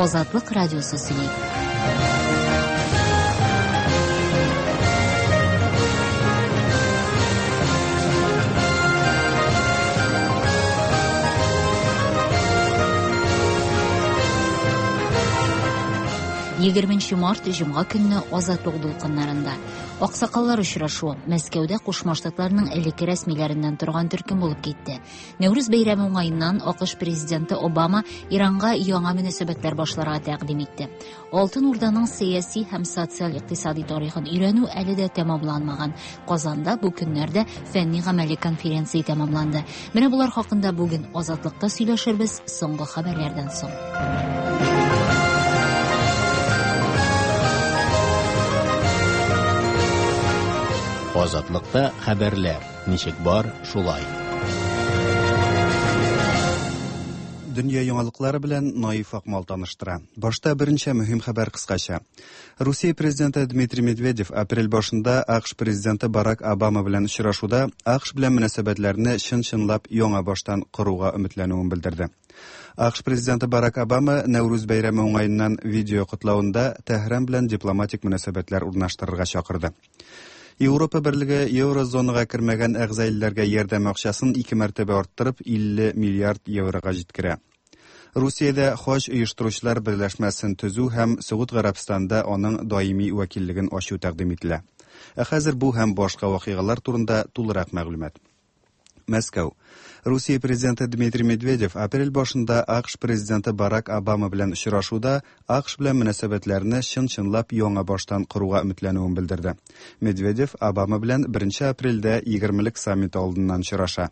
Азатлык радиосы сөйли. Егерменче март җомга көнне Азатлык дулкыннарында. Аксакаллар очрашуы Мәскәүдә Кушма Штатларның элекке рәсмиләреннән торган төркем булып китте. Нәүрүз бәйрәме уңаеннан АКШ президенты Обама Иранга яңа мөнәсәбәтләр башларга тәкъдим итте. Алтын Урданың сәяси һәм социаль-икътисади тарихын өйрәнү әле дә тәмамланмаган. Казанда бу көннәрдә фәнни-гамәли конференция тәмамланды. Менә болар хакында бүген Азатлыкта сөйләшербез соңгы хәбәрләрдән соң. Азатлыкта хәбәрләр ничек бар, шулай. Дөнья яңалыклары белән Наиф Акмал таныштыра. Башта берничә мөһим хәбәр кыскача. Русия президенты Дмитрий Медведев апрель башында АКШ президенты Барак Обама белән очрашуда АКШ белән мөнәсәбәтләрне чын-чынлап яңа баштан коруга өметләнүен белдерде. АКШ президенты Барак Обама Нәүрүз бәйрәме уңаеннан видео котлавында Тәһран белән дипломатик мөнәсәбәтләр урнаштырырга чакырды. Европа берлеге еврозонага кермәгән әгъза илләргә ярдәм акчасын ике мәртәбә арттырып 50 миллиард еврога җиткерә. Русиядә хаҗ оештыручылар берләшмәсен төзү һәм Согуд Гарәбстанында аның даими вәкиллеген ачу тәкъдим ителә. Ә хәзер бу һәм башка вакыйгалар турында тулырак мәгълүмат. Мәскәү. Русия президенты Дмитрий Медведев апрель башында АКШ президенты Барак Обама белән очрашуда АКШ белән мөнәсәбәтләрне чын-чынлап яңа баштан коруга өметләнүен белдерде. Медведев Обама белән 1 апрельдә егермелек саммиты алдыннан очраша.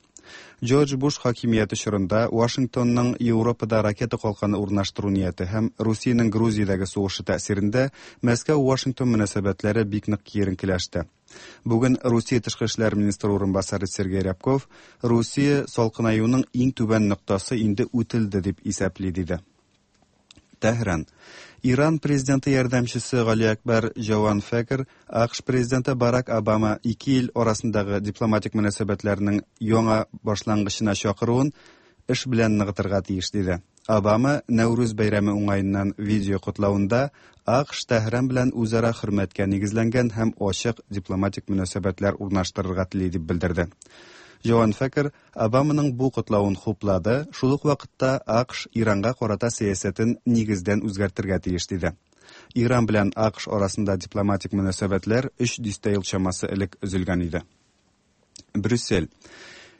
Джордж Буш хакимияте чорында Вашингтонның Европада ракета калканы урнаштыру нияте һәм Русиянең Грузиядәге сугышы тәэсирендә Мәскәү-Вашингтон мөнәсәбәтләре бик нык киеренкеләште. Бүген Русия тышкы эшләр министры урынбасары Сергей Рябков Русия салкынаюның иң түбән ноктасы инде үтелде дип исәпли диде. Тәһран. Иран президенты ярдәмчесе Гали Акбар Җаван Фәкер АКШ президенты Барак Обама ике ил арасындагы дипломатик мөнәсәбәтләрнең яңа башлангычына чакыруын эш белән ныгытырга тиеш диде. Обама Нәүрүз бәйрәме уңаеннан видео котлавында АКШ Тәһран белән үзара хөрмәткә нигезләнгән һәм ачык дипломатик мөнәсәбәтләр урнаштырырга тели дип белдерде. Җаван Фәкер Обаманың бу котлавын хуплады, шул ук вакытта АКШ Иранга карата сәясәтен нигездән үзгәртергә тиеш диде. Иран белән АКШ арасында дипломатик мөнәсәбәтләр өч дистә ел чамасы элек өзелгән иде. Брюссель.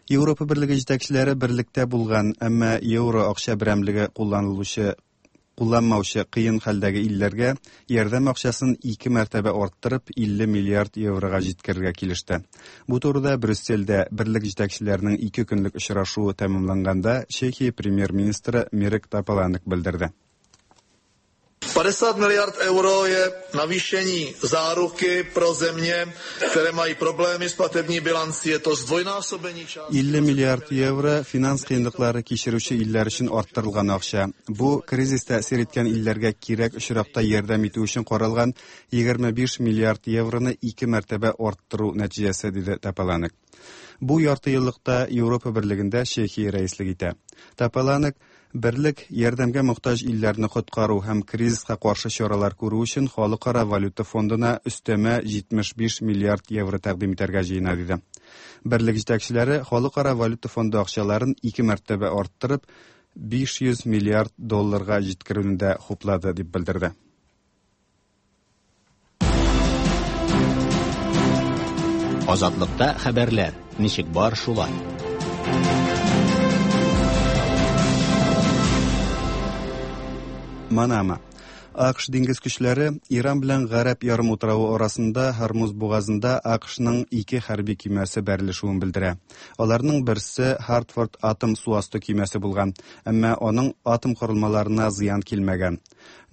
Европа берлеге җитәкчеләре берлектә булган, әмма евро акча берәмлеге кулланылучы кулланмаучы кыен хәлдәге илләргә ярдәм акчасын ике мәртәбә арттырып 50 миллиард еврога җиткерергә килеште. Бу турыда Брюссельдә берлек җитәкчеләренең ике көнлек очрашуы тәмамланганда Чехия премьер-министры Мирек Тополанек белдерде. 50 miliard euro je navýšení záruky pro země, které mají problémy s platební bilancí. Je to zdvojnásobení částky. 50 миллиард евро финанс кыенлыклары кичерүче илләр өчен арттырылган акча. Бу кризис тәэсир иткән илләргә кирәк очракта ярдәм итү өчен каралган 25 миллиард евроны ике мәртәбә арттыру нәтиҗәсе, диде Тополанек. Бу ярты еллыкта Европа берлегендә Чехия рәислек итә. Тополанек Берлек ярдәмгә мохтаҗ илләрне коткару һәм кризиска каршы чаралар күрү өчен Халыкара валюта фондына өстәмә 75 миллиард евро тәкъдим итәргә җыена, диде. Берлек җитәкчеләре Халыкара валюта фонды акчаларын ике мәртәбә арттырып, 500 миллиард долларга җиткерүне дә хуплады, дип белдерде. Азатлыкта хәбәрләр ничек бар шулай. Манама. АКШ диңгез көчләре Иран белән Гарәп ярымутравы арасында Һормуз бугазында АКШның ике хәрби көймәсе бәрелешүен белдерә. Аларның берсе Хартфорд атом су асты көймәсе булган, әмма аның атом корылмаларына зыян килмәгән.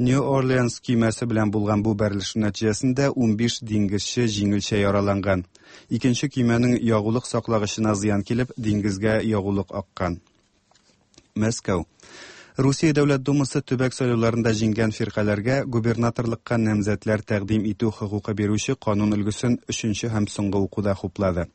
Нью-Орлеанс көймәсе белән булган бу бәрелешү нәтиҗәсендә 15 диңгезче җиңелчә яраланган. Икенче көймәнең ягулык саклагычына зыян килеп, диңгезгә ягулык аккан. Мәскәү. Русия Дәүләт Думасы төбәк сайлауларында җиңгән фиркаләргә губернаторлыкка намзәтләр тәкъдим итү хокукы бирүче канун өлгесен өченче һәм соңгы укуда хуплады.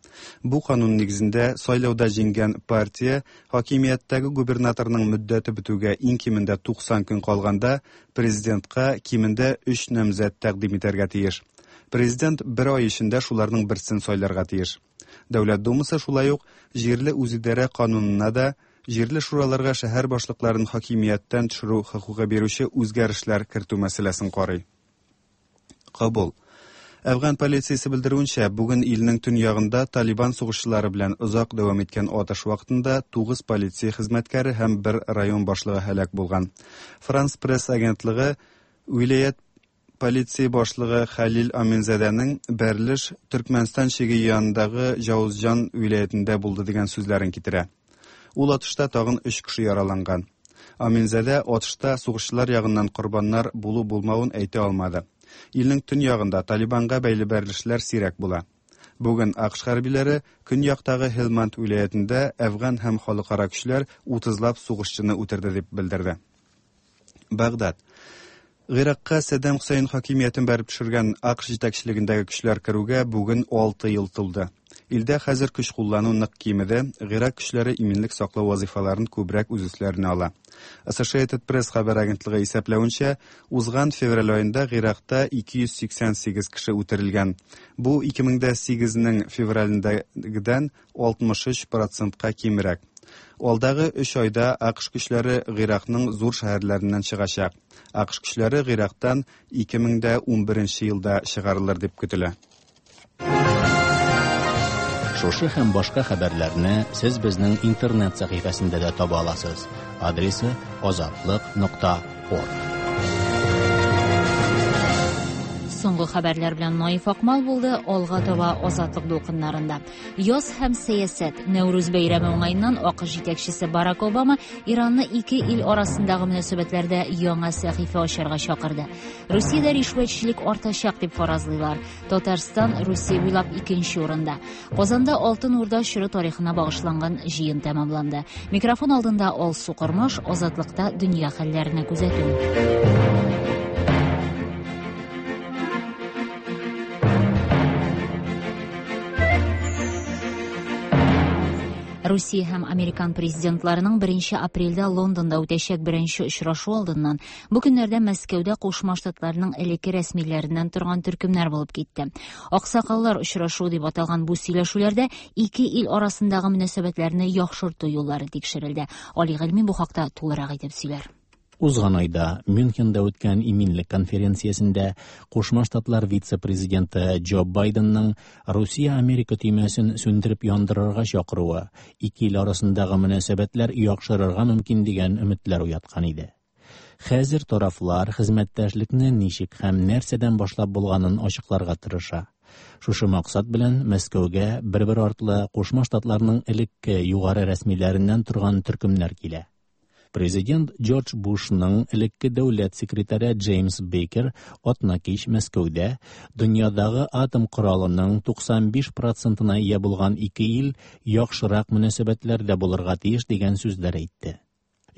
Бу канун нигезендә сайлауда җиңгән партия хакимияттәге губернаторның мөддәте бетүгә иң кимендә 90 көн калганда президентка кимендә 3 намзәт тәкъдим итәргә тиеш. Президент бер ай эчендә шуларның берсен сайларга тиеш. Дәүләт Думасы шулай ук җирле үзидарә канунына да җирле шураларга шәһәр башлыкларын хакимияттән төшерү хокукы бирүче үзгәрешләр кертү мәсьәләсен карый. Кабул. Әфган полициясе белдерүенчә, бүген илнең төньягында Талибан сугышчылары белән озак дәвам иткән атыш вакытында 9 полиция хезмәткәре һәм бер район башлыгы һәлак булган. Франс Пресс агентлыгы вилаять полиция башлыгы Хәлил Аминзадәнең бәрелеш Төркмәнстан чиге янындагы Җаузҗан вилаятендә булды дигән сүзләрен китерә. Ул атышта тагын 3 кеше яраланган. Аминзадә атышта сугышчылар ягыннан корбаннар булу-булмавын әйтә алмады. Илнең төньягында Талибанга бәйле бәрелешләр сирәк була. Бүген АКШ хәрбиләре көньяктагы Һелманд вилаятендә әфган һәм халыкара көчләр 30лап сугышчыны үтерде дип белдерде. Багдад. Гыйракка Саддам Хусейн хакимиятен бәреп төшергән АКШ җитәкчелегендәге көчләр керүгә бүген 6 ел тулды. Илдә хәзер көч куллану нык кимеде, Гыйрак көчләре иминлек саклау вазифаларын күбрәк үз өсләренә ала. Associated Press хәбәр агентлыгы исәпләвенчә, узган февраль аенда Гыйракта 288 кеше үтерелгән. Бу 2008-нең февралендәгедән 63%-ка кимрәк. Алдагы 3 айда АКШ көчләре Гыйракның зур шәһәрләреннән чыгачак. АКШ көчләре Гыйрактан 2011 елда чыгарылыр дип көтелә. Шушы һәм башка хәбәрләрне сез безнең интернет сәхифәсендә дә таба аласыз. Адресы azatliq.org. Соңгы хәбәрләр белән Наиф Акмал булды. Алга таба Азатлык дулкыннарында. Яз һәм сәясәт. Нәүрүз бәйрәме уңаеннан АКШ җитәкчесе Барак Обама Иранны ике ил арасындагы мөнәсәбәтләрдә яңа сәхифә ачарга чакырды. Русиядә ришвәтчелек артачак дип фаразлыйлар. Татарстан Русия буйлап икенче урында. Казанда Алтын Урда чоры тарихына багышланган җыен тәмамланды. Микрофон алдында Алсу Кормаш, Азатлыкта дөнья хәлләренә күзәтү. Русия һәм Американ президентларының 1 апрельдә Лондонда үтәчәк беренче очрашу алдыннан бу көннәрдә Мәскәүдә Кушма Штатларның элекке рәсмиләреннән торган төркемнәр булып китте. Аксакаллар очрашуы дип аталган бу сөйләшүләрдә ике ил арасындагы мөнәсәбәтләрне яхшырту юллары тикшерелде. Али Гыйльми бу хакта тулырак итеп сөйләр. Узган айда Мюнхенда үткән иминлек конференциясендә Кушма Штатлар вице-президенты Джо Байденның Русия-Америка төймәсен сүндереп яндырырга чакыруы ике ил арасындагы мөнәсәбәтләр яхшырырга мөмкин дигән өметләр уяткан иде. Хәзер тарафлар хезмәттәшлекне ничек һәм нәрсәдән башлап булганын ачыкларга тырыша. Шушы максат белән Мәскәүгә бер-бер артлы Кушма Штатларның элекке югары рәсмиләреннән торган төркемнәр килә. Президент Джордж Бушның элекке дәүләт секретаре Джеймс Бейкер атна кич Мәскәүдә дөньядагы атом коралының 95%-на ия булган ике ил яхшырак мөнәсәбәтләрдә булырга тиеш дигән сүзләр әйтте.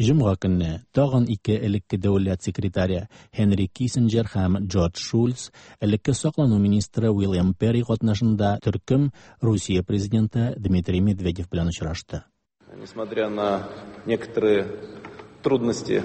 Җомга көнне тагын ике элекке дәүләт секретаре Хенри Киссинджер һәм Джордж Шульц, элекке саклану министры Уильям Перри катнашында төркем Русия президенты Дмитрий Медведев белән очрашты. Несмотря на некоторые трудности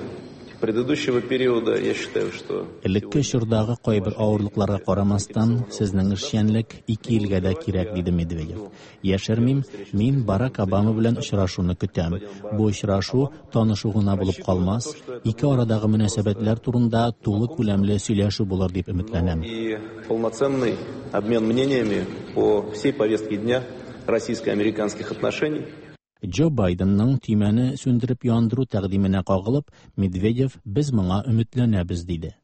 предыдущего периода, я считаю, что Элекке чордагы кайбер авырлыкларга карамастан, сезнең эшчәнлек ике илгә дә кирәк, диде Медведев. Яшермим, мин Барак Обама белән очрашуны көтәм. Бу очрашу танышу гына булып калмас, ике арадагы мөнәсәбәтләр турында тулы күләмле сөйләшү булыр дип өметләнәм. И полноценный обмен мнениями по всей повестке дня российско-американских отношений. Джо Байденның төймәне сүндереп яндыру тәкъдименә кагылып, Медведев без моңа өметләнәбез диде.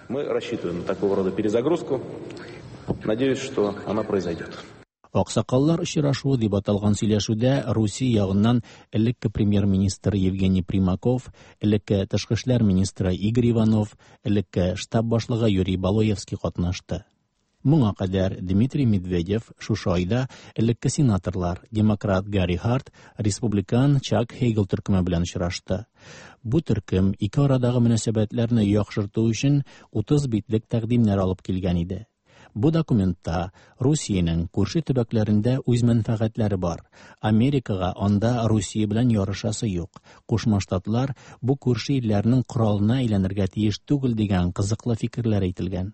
Мы рассчитываем на такого рода перезагрузку. Надеюсь, что она произойдет. Аксакаллар очрашуы дип аталган сөйләшүдә Русия ягыннан элекке премьер-министр Евгений Примаков, элекке тышкы эшләр министры Игорь Иванов, элекке штаб башлыгы Юрий Балуевский катнашты. Моңа кадәр Дмитрий Медведев шушы айда элекке сенаторлар демократ Гарри Харт, республикан Чак Хейгел төркеме белән очрашты. Бу төркем ике арадагы мөнәсәбәтләрне яхшырту өчен 30 битлек тәкъдимнәр алып килгән иде. Бу документта Русиянең күрше төбәкләрендә үз мәнфәгатьләре бар. Америкага анда Русия белән ярышасы юк. Кушма Штатлар бу күрше илләрнең коралына әйләнергә тиеш түгел дигән кызыклы фикерләр әйтелгән.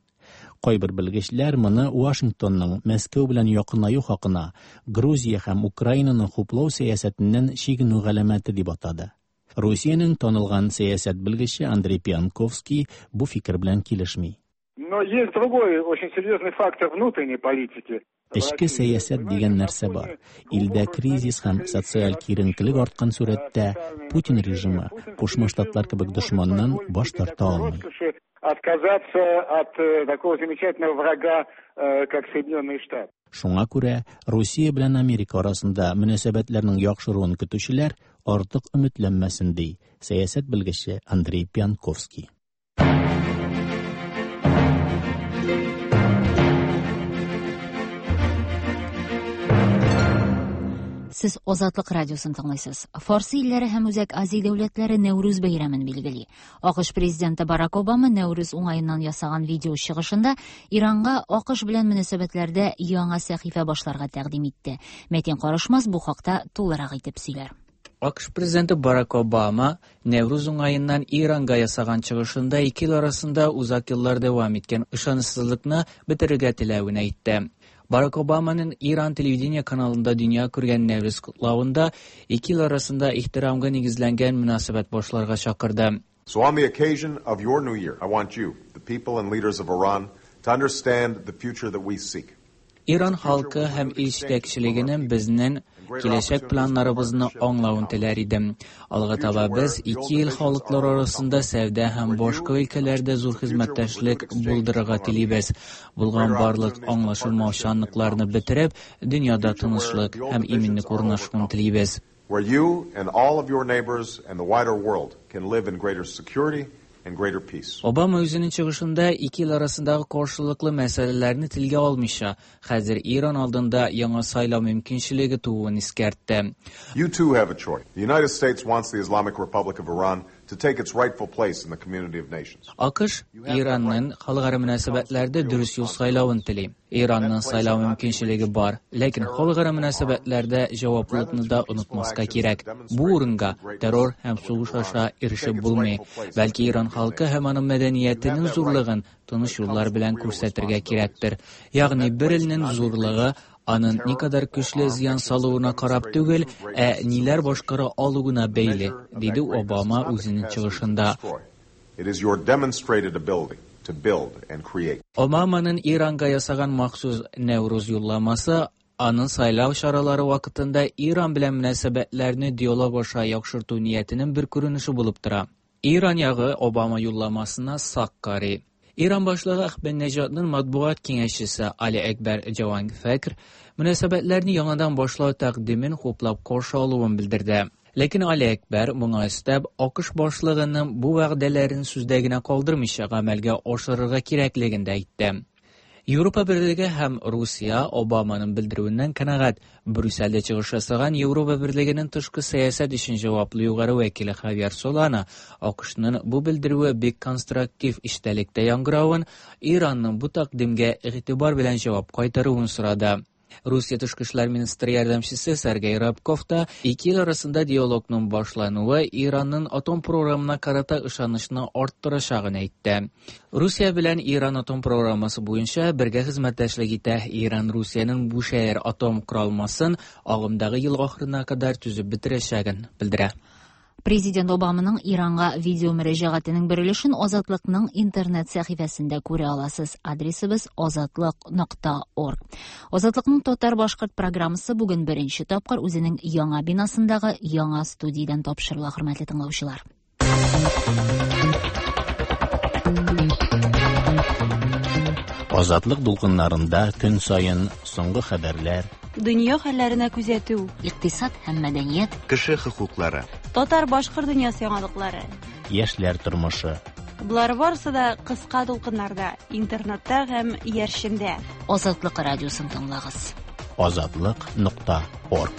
Кайбер белгечләр моны Вашингтонның Мәскәү белән якынаю хакына Грузия һәм Украинаны хуплау сәясәтеннән чигенү галәмәте дип атады. Русиянең танылган сәясәт белгече Андрей Пьянковский бу фикер белән килешми. Но есть другой очень серьезный фактор внутренней политики. Эчке сәясәт дигән нәрсә бар. Илдә кризис һәм социаль киеренкелек арткан сурәттә Путин режимы Кушма Штатлар кебек дошманнан баш тарта алмый. Отказаться от такого замечательного врага, как Соединенные Штаты. Шуңа күрә Русия белән Америка арасында мөнәсәбәтләрнең яхшыруын көтүчеләр артык өметләнмәсен, ди сәясәт белгече Андрей Пьянковский. Сез Азатлык радиосын тыңлыйсыз. Фарсы илләре һәм Үзәк Азия дәүләтләре Нәүрүз бәйрәмен билгели. АКШ президенты Барак Обама Нәүрүз уңаеннан ясаган видео чыгышында Иранга АКШ белән мөнәсәбәтләрдә яңа сәхифә башларга тәкъдим итте. Мәтин Карышмас бу хакта тулырак итеп сөйләр. АКШ президенты Барак Обама Нәүрүз уңаеннан Иранга ясаган чыгышында ике ил арасында узак еллар дәвам иткән ышанычсызлыкны бетерергә теләвен әйтте. Барак Обаманың Иран телевидение каналында дөнья күргән Нәүрүз котлавында ике ил арасында ихтирамга нигезләнгән мөнәсәбәт башларга чакырды. So on the occasion of your new year, I want you, the people and leaders of Iran, to understand the future that we seek. Иран халкы һәм ил җитәкчелегенең безнең киләчәк планнарыбызны аңлавын теләр идем. Алга таба без ике ил халыклары арасында сәүдә һәм башка өлкәләрдә зур хезмәттәшлек булдырырга телибез. Булган барлык аңлашылмаучанлыкларны бетереп, дөньяда тынычлык һәм иминлек урнашуын телибез. Where you and all of your neighbors and the wider world can live in greater security and greater peace. Обама үзенең чыгышында ике ил арасындагы каршылыклы мәсьәләләрне телгә алмыйча, хәзер Иран алдында яңа сайлау мөмкинчелеге тууын искәртте. You too have a choice. The United States wants the Islamic Republic of Iran to take its rightful place in the community of nations. АКШ Иранның халыкара мөнәсәбәтләрдә дөрес юл сайлавын тели. Иранның сайлау мөмкинчелеге бар, ләкин халыкара мөнәсәбәтләрдә җаваплылыкны да онытмаска кирәк. Бу урынга террор һәм сугыш аша ирешеп булмый. Бәлки Иран халкы һәм аның мәдәниятенең зурлыгын тыныч юллар белән күрсәтергә кирәктер. Ягъни бер илнең зурлыгы аның никадәр көчле зыян салуына карап түгел, ә ниләр башкара алуына бәйле, диде Обама үзенең чыгышында. It is your demonstrated ability to build and create. Обаманың Иранга ясаган махсус Нәүрүз юлламасы аның сайлау чаралары вакытында Иран белән мөнәсәбәтләрне диалог аша яхшырту ниятенең бер күренеше булып тора. Иран ягы Обама юлламасына сак карый. Иран башлыгы Әхмәдинежадның матбугат киңәшчесе Али Әкбәр Җаванфәкр мөнәсәбәтләрне яңадан башлау тәкъдимен хуплап каршы алуын белдерде. Ләкин Али Әкбәр моңа өстәп, АКШ башлыгының бу вәгъдәләрен сүздә генә калдырмыйча гамәлгә ашырырга кирәклеген дә әйтте. Европа Берлеге һәм Русия Обаманың белдерүеннән канәгать. Брюссельдә чыгыш ясаган Европа Берлегенең тышкы сәясәт өчен җаваплы югары вәкиле Хавьер Солана АКШның бу белдерүе бик конструктив эчтәлектә яңгыравын, Иранның бу тәкъдимгә игътибар белән җавап кайтаруын сорады. Русия тышкы эшләр министры ярдәмчесе Сергей Рябков та ике ил арасында диалогның башлануы Иранның атом програмына карата ышанычны арттырачагын әйтте. Русия белән Иран атом программасы буенча бергә хезмәттәшлек итә. Иран Русиянең Бушәһәр атом коралмасын агымдагы ел ахырына кадәр төзеп бетерәчәген белдерә. Президент Обаманың Иранга видео мөрәҗәгатенең бер өлешен Азатлыкның интернет сәхифәсендә күрә аласыз. Адресыбыз азатлык.орг. Азатлыкның татар-башкорт программасы бүген беренче тапкыр үзенең яңа бинасындагы яңа студиядән тапшырыла, хөрмәтле тыңлаучылар. Азатлык дулкыннарында көн саен соңгы хәбәрләр, дөнья хәлләренә күзәтү, икътисад һәм мәдәният, кеше хокуклары, татар-башкорт дөньясы яңалыклары, яшьләр тормышы. Болар барысы да кыска дулкыннарда, интернетта һәм иярчендә. Азатлык радиосын тыңлагыз. Азатлык.орг.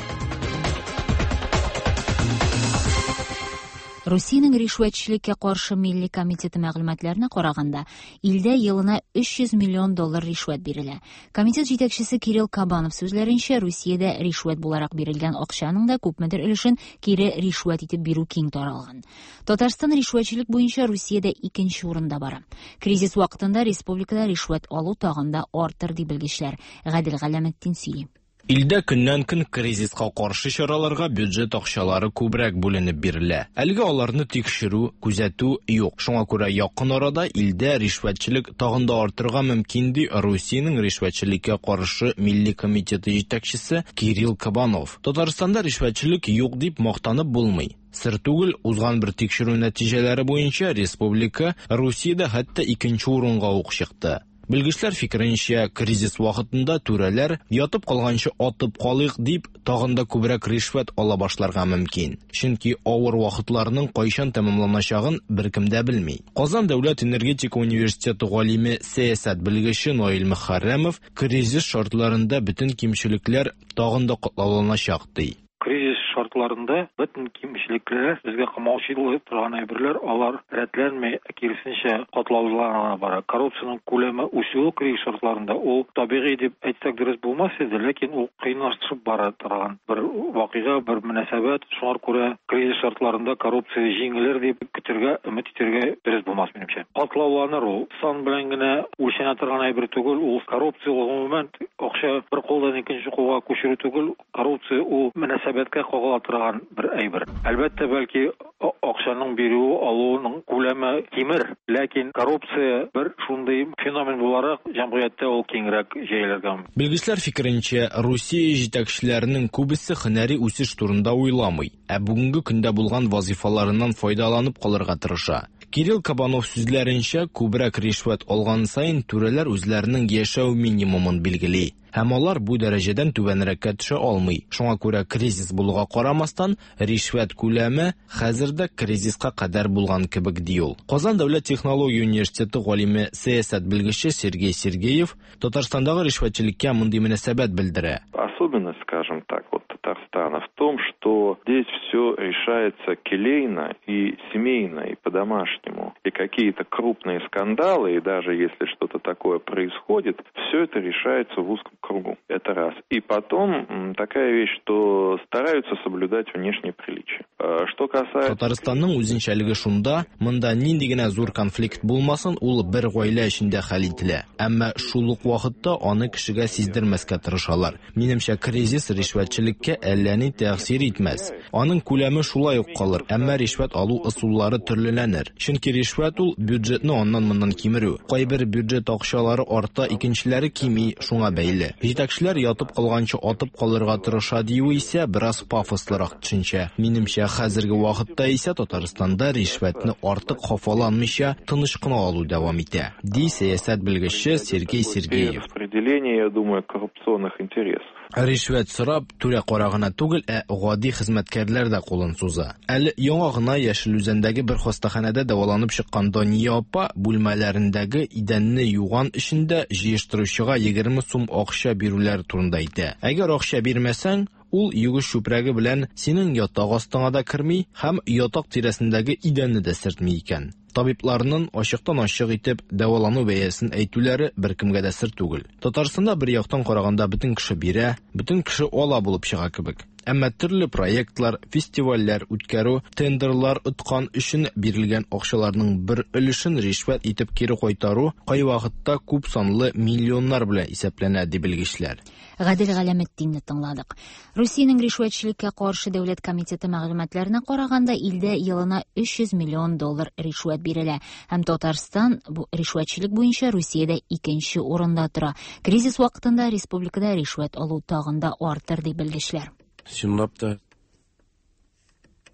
Русиянең ришвәтчелеккә каршы милли комитеты мәгълүматларына караганда, илдә елына 300 миллион доллар ришвәт бирелә. Комитет җитәкчесе Кирилл Кабанов сүзләренчә, Русиядә ришвәт буларак бирелгән акчаның да күпмедер өлешен кире ришвәт итеп бирү киң таралган. Татарстан ришвәтчелек буенча Русиядә икенче урында бара. Кризис вакытында республикада ришвәт алу тагын да артыр, ди белгечләр. Гадел Галәметдин сөйли. Илдә көннән-көн кризиска каршы чараларга бюджет акчалары күбрәк бүленеп бирелә. Әлегә аларны тикшерү, күзәтү юк. Шуңа күрә якын арада илдә ришвәтчелек тагын да артырга мөмкин, ди Русиянең ришвәтчелеккә каршы милли комитеты җитәкчесе Кирилл Кабанов. Татарстанда ришвәтчелек юк дип мактанып булмый. Сер түгел, узган бер тикшерү нәтиҗәләре буенча республика Русиядә хәтта икенче урынга ук чыкты. Белгечләр фикеренчә, кризис вакытында түрәләр ятып калганчы атып калыйк дип тагын да күбрәк ришвәт ала башларга мөмкин. Чөнки авыр вакытларның кайчан тәмамланачагын беркем дә белми. Казан дәүләт энергетика университеты галиме, сәясәт белгече Наил Мөхәррәмов кризис шартларында бөтен кимчелекләр тагын да катлауланачак ди. Кризис шартларында бөтен кимчелекләр, безгә комаучылык торган әйберләр, алар рәтләнми, киресенчә катлаулана бара. Коррупциянең күләме үсүе кризис шартларында ул табигый дип әйтсәк дөрес булмас иде, ләкин ул кыенлашып бара торган бер вакыйга, бер мөнәсәбәт. Шуңа күрә кризис шартларында коррупция җиңелер дип көтергә, өмет итәргә дөрес булмас минемчә. Катлауланыр ул. Сан белән генә үлчәнә торган әйбер түгел, ул коррупция гомумән акча бер кулдан икенче кулга күчерү түгел, коррупция ул мөнәсәбәткә кагыла торган бер әйбер. Әлбәттә, бәлки акчаның бирүе, алуының күләме кимер, ләкин коррупция бер шундый феномен буларак җәмгыятьтә ул киңрәк җәелергә мөмкин. Белгечләр фикеренчә, Русия җитәкчеләренең күбесе һөнәри үсеш турында уйламый, ә бүгенге көндә булган вазифаларыннан файдаланып калырга тырыша. Кирилл Кабанов сүзләренчә, күбрәк ришвәт алган саен түрәләр үзләренең яшәү минимумын билгели. Һәм алар бу дәрәҗәдән түбәнрәккә төшә алмый. Шуңа күрә кризис булуга карамастан, ришвәт күләме хәзер дә кризиска кадәр булган кебек, ди ул. Казан дәүләт технология университеты галиме, сәясәт белгече Сергей Сергеев Татарстандагы ришвәтчелеккә мондый мөнәсәбәт белдерә. Особенность, скажем так, вот Татарстана в том, что здесь все решается келейно и семейно, и по-домашнему. И какие-то крупные скандалы, и даже если что-то такое происходит, все это решается в узком кругу. Это раз. И потом такая вещь, что стараются соблюдать внешние приличия. Что касается... Татарстанның үзенчәлеге шунда, монда нинди генә зур конфликт булмасын, ул бер гаилә эчендә хәл ителә. Әмма шул ук вакытта аны кешегә сиздермәскә тырышалар. Минемчә, кризис ришвәтчелеккә әллә ни тәэсир итмәс. Аның күләме шулай ук калыр, әмма ришвәт алу ысуллары төрлеләнер. Чөнки ришвәт ул бюджетны аннан-моннан кимерү. Кайбер бюджет акчалары арта, икенчеләре кими, шуңа бәйле. Җитәкчеләр ятып калганчы атып калырга тырыша дию исә бераз пафослырак төшенчә. Минемчә, хәзерге вакытта исә Татарстанда ришвәтне артык хафаланмыйча тыныч кына алу дәвам итә, ди сәясәт белгече Сергей Сергеев. Распределение, я думаю, коррупционных интересов. Ришвәт сорап, түрә кара гына түгел, ә гади хезмәткәрләр дә кулын суза. Әле яңа гына Яшел Үзәндәге бер хастаханәдә дәваланып чыккан Дания апа бүлмәләрендәге идәнне юган өчен дә җыештыручыга 20 сум акча бирүләре турында әйтә. Әгәр акча бирмәсәң, ул югыш чүпрәге белән синең ятак астыңа да керми һәм ятак тирәсендәге идәнне дә сөртми икән. Табибларның ачыктан-ачык итеп дәвалану бәясен әйтүләре беркемгә дә сер түгел. Татарстанда бер яктан караганда бөтен кеше бирә, бөтен кеше ала булып чыга кебек. Әмма төрле проектлар, фестивальләр үткәрү, тендерлар откан өчен бирелгән акчаларның бер өлешен ришвәт итеп кире кайтару кайвакытта күп санлы миллионнар белән исәпләнә, ди белгечләр. Гадел Галәметдинне тыңладык. Русиянең ришвәтчелеккә каршы дәүләт комитеты мәгълүматларына караганда, илдә елына 300 миллион доллар ришвәт бирелә һәм Татарстан бу ришвәтчелек буенча Русиядә икенче урында тора. Кризис вакытында республикада ришвәт алу тагын да артыр, ди белгечләр. Чынлап та.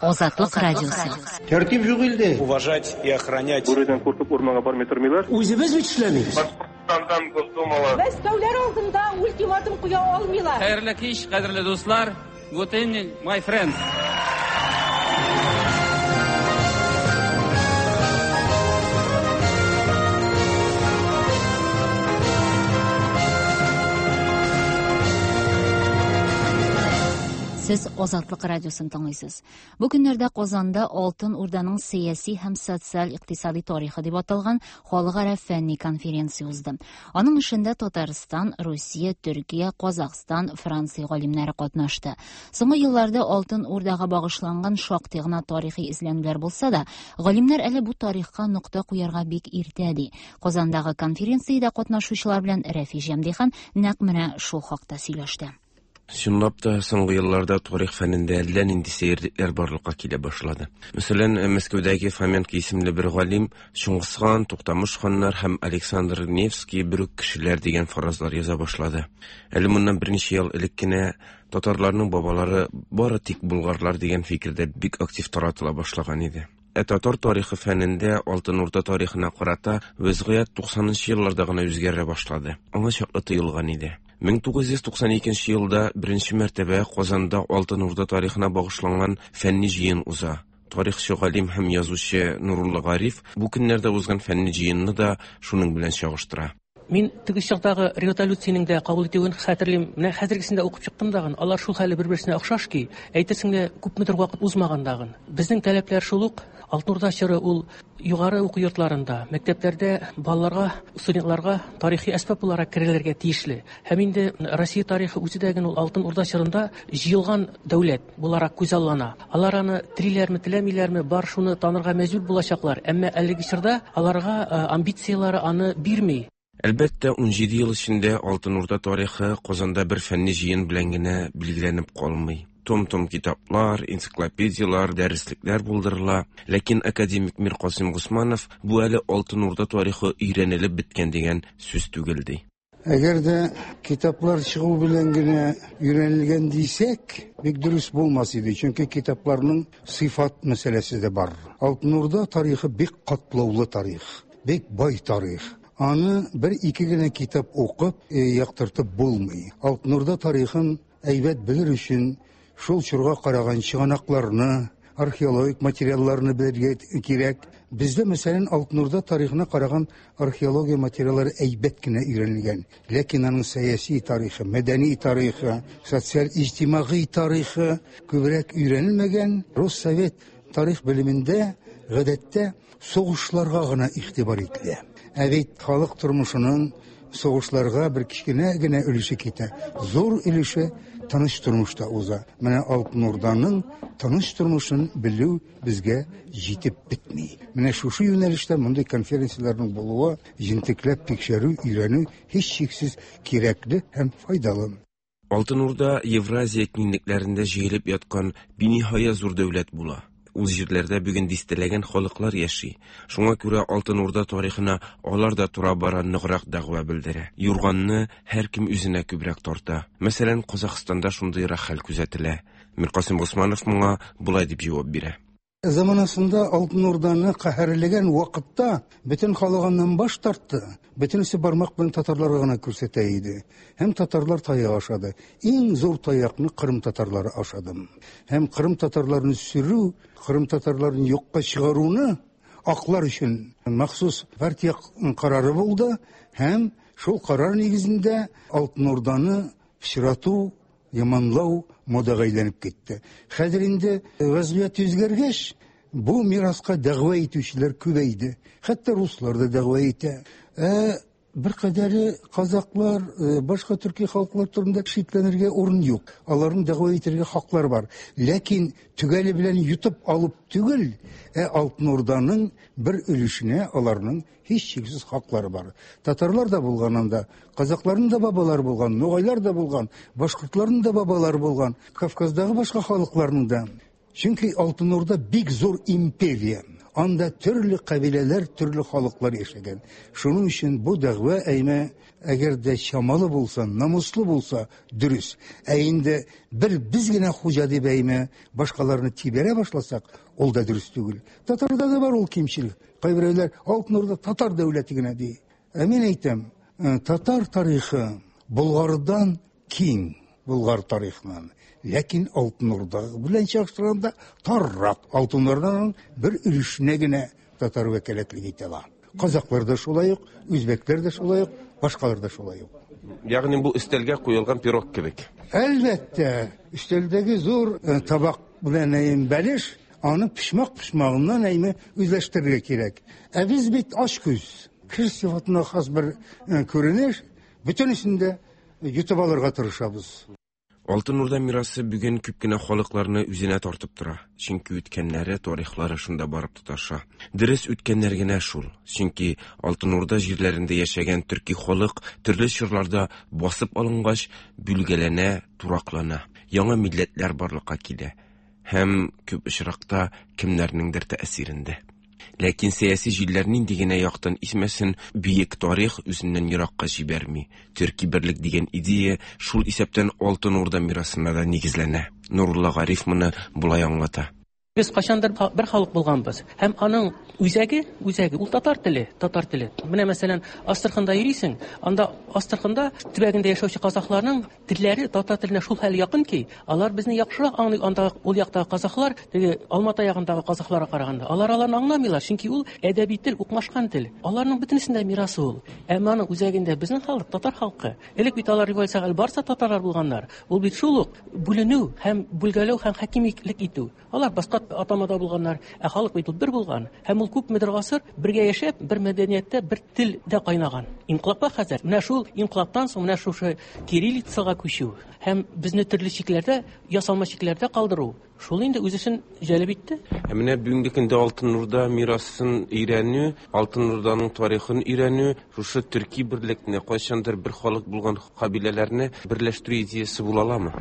Азатлык радиосы. Тәртип юк илдә. Уважать и охранять. Бүредән куркып урманга бармый тормыйлар. Үзебез бит эшләмибез. Башкортстандан Госдумала. Мәскәүләр алдында ультиматум куя алмыйлар. Хәерле кич, кадерле дуслар. Good evening, my friends. Сез Азатлык радиосын тыңлыйсыз. Бу көннәрдә Казанда Алтын Урданың сәяси һәм социаль-икътисади тарихы дип аталган халыкара фәнни конференция узды. Аның эшендә Татарстан, Русия, Төркия, Казахстан, Франция галимнәре катнашты. Соңгы елларда Алтын Урдага багышланган шактый гына тарихи эзләнүләр булса да, галимнәр әле бу тарихка нокта куярга бик иртә ди. Казандагы конференциядә катнашучылар белән Рәфи Җәмдихан нәкъ менә шул хакта сөйләште. Чынлап та, соңгы елларда тарих фәнендә әллә нинди сәерлекләр барлыкка килә башлады. Мәсәлән, Мәскәүдәге Фоменко исемле бер галим Чыңгыз хан, Туктамыш ханнар һәм Александр Невский бер үк кешеләр дигән фаразлар яза башлады. Әле моннан берничә ел элек кенә татарларның бабалары бары тик болгарлар дигән фикер дә бик актив таратыла башлаган иде. Ә татар тарихы фәнендә Алтын Урда тарихына карата вәзгыять 90 нчы елларда гына үзгәрә башлады. Аңа чаклы тыелган иде. 1992 елда беренче мәртәбә Казанда Алтын Урда тарихына багышланган фәнни җыен уза. Тарихчы галим һәм язучы Нурулла Гариф бу көннәрдә узган фәнни җыенны да шуның белән чагыштыра. Мин теге чактагы резолюциянең дә кабул итүен хәтерлим. Менә хәзергесен дә укып чыктым дагын. Алар шул хәле бер-берсенә охшаш ки, әйтерсең лә күпмедер вакыт узмаган дагын. Безнең таләпләр шул ук. Алтын Урда чоры ул югары уку йортларында, мәктәпләрдә балаларга, студентларга тарихи әсбап буларак керелергә тиешле. Һәм инде Россия тарихы үзе дә ул Алтын Урда чорында җыелган дәүләт буларак күзаллана. Алар аны телиләрме, теләмиләрме, бар шуны танырга мәҗбүр булачаклар. Әмма әлеге чорда аларга амбицияләре аны бирми. Әлбәттә, 17 ел эчендә Алтын Урда тарихы Казанда бер фәнни җыен белән генә билгеләнеп калмый. Том-том китаплар, энциклопедияләр, дәреслекләр булдырыла. Ләкин академик Миркасыйм Госманов бу әле Алтын Урда тарихы өйрәнелеп беткән дигән сүз түгел ди. Әгәр дә китаплар чыгу белән генә өйрәнелгән дисәк, бик дөрес булмас иде, чөнки китапларның сыйфат мәсьәләсе дә бар. Алтын Урда тарихы бик катлаулы тарих, бик бай тарих. Аны бер-ике генә китап укып, яктыртып булмый. Алтын Урда тарихын әйбәт белер өчен шул чорга караган чыганакларны, археологик материалларны белергә кирәк. Бездә, мәсәлән, Алтын Урда тарихына караган археология материаллары әйбәт кенә өйрәнелгән. Ләкин аның сәяси тарихы, мәдәни тарихы, социаль-иҗтимагый тарихы күбрәк өйрәнелмәгән. Россовет тарих белемендә гадәттә сугышларга гына игътибар ителә. Ә бит халык тормышының сугышларга бер кечкенә генә өлеше китә. Зур өлеше тыныч тормышта уза. Менә Алтын Урданың тыныч тормышын белү безгә җитеп бетми. Менә шушы юнәлештә мондый конференцияләрнең булуы, җентекләп тикшерү, өйрәнү һичшиксез кирәкле һәм файдалы. Алтын Урда Евразия киңлекләрендә җәелеп яткан биниһая зур дәүләт була. Ул җирләрдә бүген дистәләгән халыклар яши. Шуңа күрә Алтын Урда тарихына алар да тора-бара ныграк дәгъва белдерә. Юрганны һәркем үзенә күбрәк тарта. Мәсәлән, Казахстанда шундыйрак хәл күзәтелә. Миркасыйм Госманов моңа болай дип җавап бирә. Заманасында Алтын Урданы каһәрләгән вакытта бөтен халык аннан баш тартты. Бөтенесе бармак белән татарларга гына күрсәтә иде. Һәм татарлар таяк ашады. Иң зур таякны Кырым татарлары ашады. Һәм Кырым татарларын сөрү, Кырым татарларын юкка чыгаруны аклар өчен махсус партия карары булды. Һәм шул карар нигезендә Алтын Урданы пычрату, яманлау модага әйләнеп китте. Хәзер инде вәзгыять үзгәргәч, бу мираска дәгъва итүчеләр күбәйде. Хәтта руслар да дәгъва итә. Ә бер кадәре казаклар, башка төрки халыклар турында шикләнергә урын юк. Аларның дәгъва итәргә хаклары бар. Ләкин төгәле белән йотып алып түгел, ә Алтын Урданың бер өлешенә аларның һичшиксез хаклары бар. Татарлар да булган анда, казакларның да бабалары булган, ногайлар да булган, башкортларның да бабалары булган, Кавказдагы башка халыкларның да. Чөнки Алтын Урда бик зур империя. Анда төрле кабиләләр, төрле халыклар яшәгән. Шуның өчен бу дәгъва әймә, әгәр дә чамалы булса, намуслы булса, дөрес. Ә инде бер без генә хуҗа дип әймә, башкаларны тибәрә башласак, ул да дөрес түгел. Татарда да бар ул кимчелек. Кайберәүләр Алтын Урда татар дәүләте генә ди. Ә мин әйтәм, татар тарихы Болгардан киң, Болгар тарихыннан. Ләкин Алтын Урда белән чагыштырганда таррак. Алтын Урданың бер өлешенә генә татар вәкаләтлек итә ала. Казаклар да шулай ук, үзбәкләр дә шулай ук, Башкалар да шулай ук. Ягъни бу өстәлгә куелган пирог кебек. Әлбәттә, өстәлдәге зур табак белән әйем бәлеш, аны почмак-почмагыннан әйме үзләштерергә кирәк. Ә без бит ач күз. Кеше сыйфатына хас бер күренеш, бөтенесен дә йотып алырга тырышабыз. Алтын Урда мирасы бүген күп кенә халыкларны үзенә тартып тора, чөнки үткәннәре, тарихлары шунда барып тоташа. Дөрес, үткәннәр генә шул, чөнки Алтын Урда җирләрендә яшәгән төрки халык төрле чорларда басып алынгач, бүлгәләнә, тураклана, яңа милләтләр барлыкка килә һәм күп очракта кемнәрнеңдер тәэсирендә. Ләкин сәяси җилләр нинди генә яктан исмәсен, бөек тарих үзеннән еракка җибәрми. Төрки берлек дигән идея шул исәптән Алтын Урда мирасына да нигезләнә. Нурулла Гариф моны болай аңлата. Без кайчандыр бер халык булганбыз. Һәм аның үзәге, үзәге ул татар теле, татар теле. Менә мәсәлән, Астраханда йөрисең, анда Астраханда төбәгендә яшәүче казахларның телләре татар теленә шул хәл якын ки, алар безне яхшырак аңлый, анда ул яктагы казахлар, теге Алмата ягындагы казахларга караганда. Алар аларны аңламыйлар, чөнки ул әдәби тел, укмашкан тел. Аларның бөтенесендә мирасы ул. Әмма аның үзәгендә безнең халык, татар халкы. Элек бит алар революциягә әле барса татарлар булганнар. Ул бит шул ук бүленү һәм бүлгәләү һәм хакимиклек итү. Алар башка атамада булганнар, ә халык бит ул бер булган. Һәм ул күпмедер гасыр бергә яшәп, бер мәдәнияттә, бер телдә кайнаган. Инкыйлабка хәзер менә шул инкыйлабтан соң менә шушы кириллицага күчү һәм безне төрле чикләрдә, ясалма чикләрдә калдыру, шул инде үз эшен җәлеп итте. Ә менә бүгенге көндә Алтын Урда мирасын өйрәнү, Алтын Урданың тарихын өйрәнү, шушы төрки берлекне, кайчандыр бер халык булган кабиләләрне берләштерү идеясе була аламы?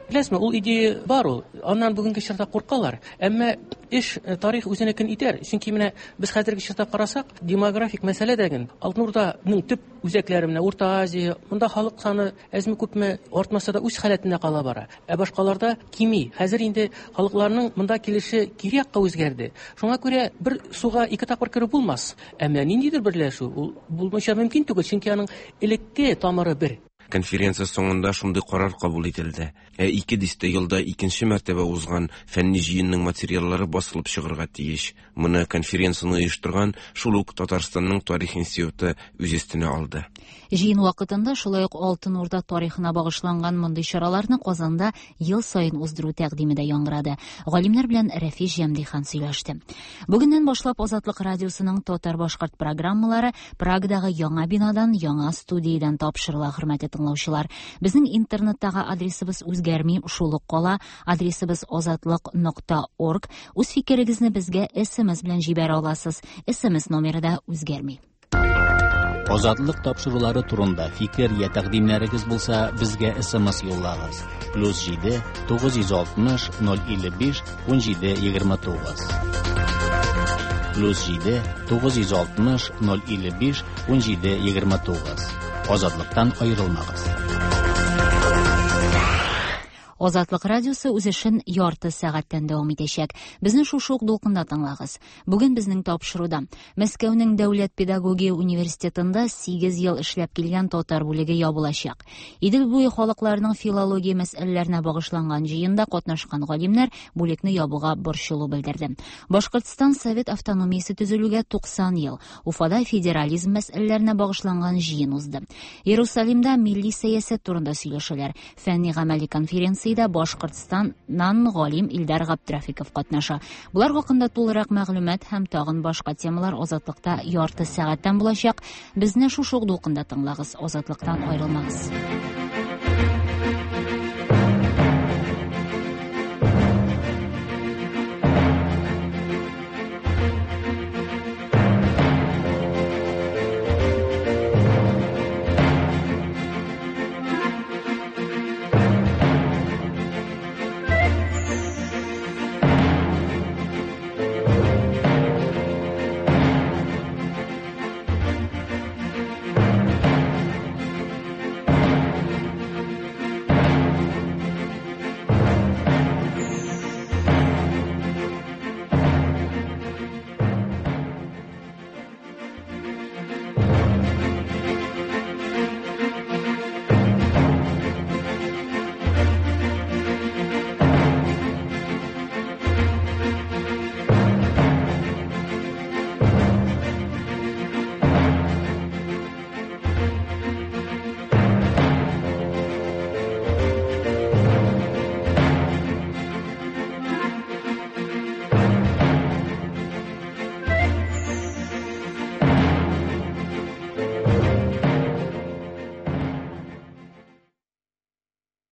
Беләсезме, ул идея бар ул. Аннан бүгенге чорда куркалар. Әмма эш э, тарих үзенекен итәр. Чөнки менә без хәзерге чорда карасак, демографик мәсьәлә дә Алтын Урданың төп үзәкләре менә Урта Азия, монда халык саны әзме-күпме артмаса да үз халәтендә кала бара. Ә башкаларда кими. Хәзер инде халыкларның монда килеше кире якка үзгәрде. Шуңа күрә бер суга ике тапкыр кереп булмас. Ә менә ниндидер берләшү ул булмыйча мөмкин түгел, чөнки аның элекке тамыры бер. Конференция соңында шундый карар кабул ителде. Ә ике дистә елда икенче мәртәбә узган фәнни җыенның материаллары басылып чыгарга тиеш. Моны конференцияне оештырган шул ук Татарстанның тарих институты үз өстенә алды. Җыен вакытында шулай ук Алтын Урда тарихына багышланган мондый чараларны Казанда ел саен уздыру тәкъдиме дә яңгырады. Галимнәр белән Рәфис Җәмдихан сөйләште. Бүгеннән башлап Азатлык радиосының татар-башкорт программалары Прагадагы яңа бинадан, яңа студиядән тапшырыла, хөрмәтле тыңлаучылар. Безнең интернеттагы адресыбыз үзгәрми, шул ук кала. Адресыбыз азатлык.орг. Үз фикерегезне безгә SMS белән җибәрә аласыз. SMS номеры да үзгәрми. Азатлык тапшырулары турында фикер я тәкъдимнәрегез булса, безгә SMS юллагыз. Плюс 7 960 055 17 29. Плюс 7 960 055 17 29. Азатлыктан аерылмагыз. Азатлык радиосы үз эшен ярты сәгатьтән дәвам итәчәк. Безне шушы ук дулкында тыңлагыз. Бүген безнең тапшыруда Мәскәүнең дәүләт педагогия университетында 8 ел эшләп килгән татар бүлеге ябылачак. Идел буе халыкларының филология мәсьәләләренә багышланган җыенда катнашкан галимнәр бүлекне ябуга борчылу белдерде. Башкортстан Совет автономиясе төзелүгә 90 ел. Уфада федерализм мәсьәләләренә багышланган җыен узды. Иерусалимда милли сәясәт турында сөйләшәләр. Фәнни гамәли конференциядә Башкортстаннан галим Илдар Габдрафиков катнаша. Болар хакында тулырак мәгълүмат һәм тагын башка темалар Азатлыкта ярты сәгатьтән булачак. Безне шушы ук дулкында тыңлагыз, Азатлыктан аерылмагыз.